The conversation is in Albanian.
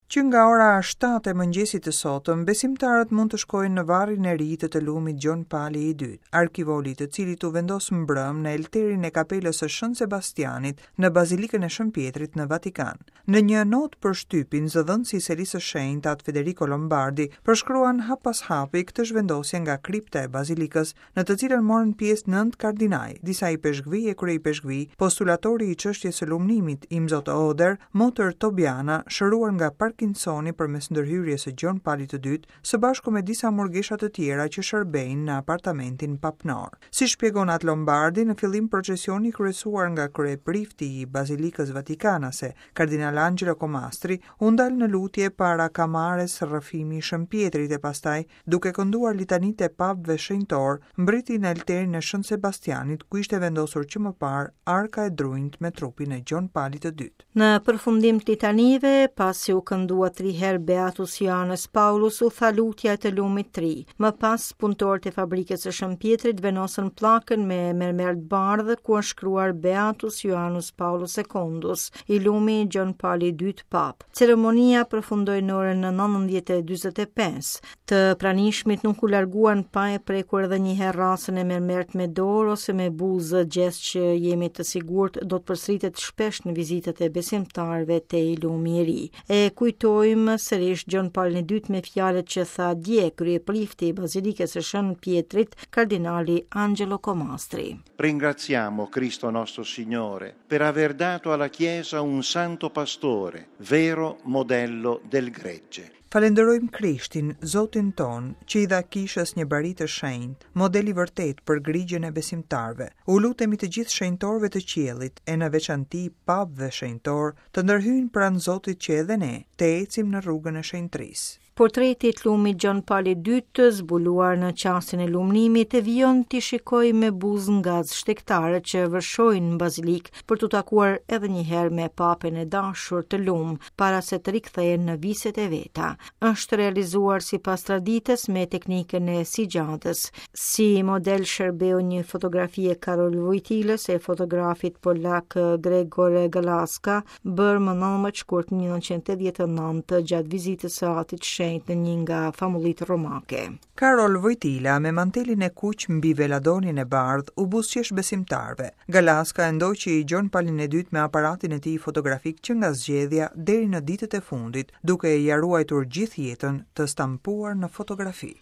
Që nga ora 7 e mëngjesit të sotëm, besimtarët mund të shkojnë në varrin e ri të të lumit Gjon Pali i Dytë, arkivoli i të cilit u vendos mbrëmë në elterin e kapelës së Shën Sebastianit në Bazilikën e Shën Pjetrit në Vatikan. Në një notë për shtypin, zëdhënësi i Selisë së Shenjtë, Atë Federico Lombardi, përshkruan hap pas hapi këtë zhvendosje nga kripta e bazilikës në të cilën morën pjesë nëntë kardinaj, disa ipeshkvij e kryeipeshkvij, postulatori i çështjes së lumnimit, Imzot Oder, motër Tobiana, shëruar nga Parkinsoni përmes ndërhyrjes së Gjon Palit të Dytë, së bashku me disa murgesha të tjera që shërbejnë në apartamentin papnor. Si shpjegon Atë Lombardi, në fillim procesioni i kryesuar nga kryeprifti i Bazilikës Vatikanase, Kardinal Angelo Comastri, u ndal në lutje para kamares Rrëfimi i Shën Pjetrit e pastaj duke kënduar litanitë e papëve shenjtorë, mbërriti në elterin e Shën Sebastianit, ku ishte vendosur që më parë arka e drunjtë me trupin e Gjon Palit të Dytë. Në përfundim të litanive, pasi u këndua tri herë Beatus Joannes Paulus, u tha lutja e të lumit tri. Më pas, punëtorët e fabrikës së Shën Pjetrit vendosën pllakën me mermer të bardhë ku është shkruar Beatus Joannes Paulus Secundus, i lumi Gjon Pali i Dytë Papë. Ceremonia përfundoi në orën 19:45. Të pranishmit nuk u larguan pa e prekur edhe një herë rrasën e mermertë me dorë ose me buzë, gjest që jemi të sigurt do të përsëritet shpesh në vizitat e besimtarëve te i lumi i ri. E kujtojmë sërish Gjon Palin e Dytë me fjalët që tha dje kryeprifti i Bazilikës së Shën Pjetrit, kardinali Angelo Comastri. Ringraziamo Cristo nostro Signore per aver dato alla Chiesa un santo pastore, vero modello del gregge. Falenderojmë Krishtin, Zotin tonë, që i dha Kishës një bari të shenjtë, model i vërtetë për grigjën e besimtarëve. U lutemi të gjithë shenjtorëve të qiellit, e në veçanti papëve shenjtorë, të ndërhyjnë pranë Zotit që edhe ne, të ecim në rrugën e shenjtërisë. Portreti i të lumit Gjon Pali i Dytë, zbuluar në çastin e lumnimit, vijon t'i shikojë me buzë ngaz shtegtarët që vërshojnë në bazilikë për t'u takuar edhe një herë me papën e dashur të lum, para se të rikthehen në viset e veta. Është realizuar sipas traditës me teknikën e sixhadës. Si model shërbeu një fotografi e Karol Vojtilës e fotografit polak Gregor Galaska, bërë më 19 shkurt 1989 gjatë vizitës së Atit të Shenjtë në një nga famullitë romake. Karol Vojtila me mantelin e kuq mbi veladonin e bardhë u buzëqesh besimtarëve. Galaska e ndoqi Gjon Palin e Dytë me aparatin e tij fotografik që nga zgjedhja deri në ditët e fundit, duke ia ruajtur gjithë jetën të stampuar në fotografi.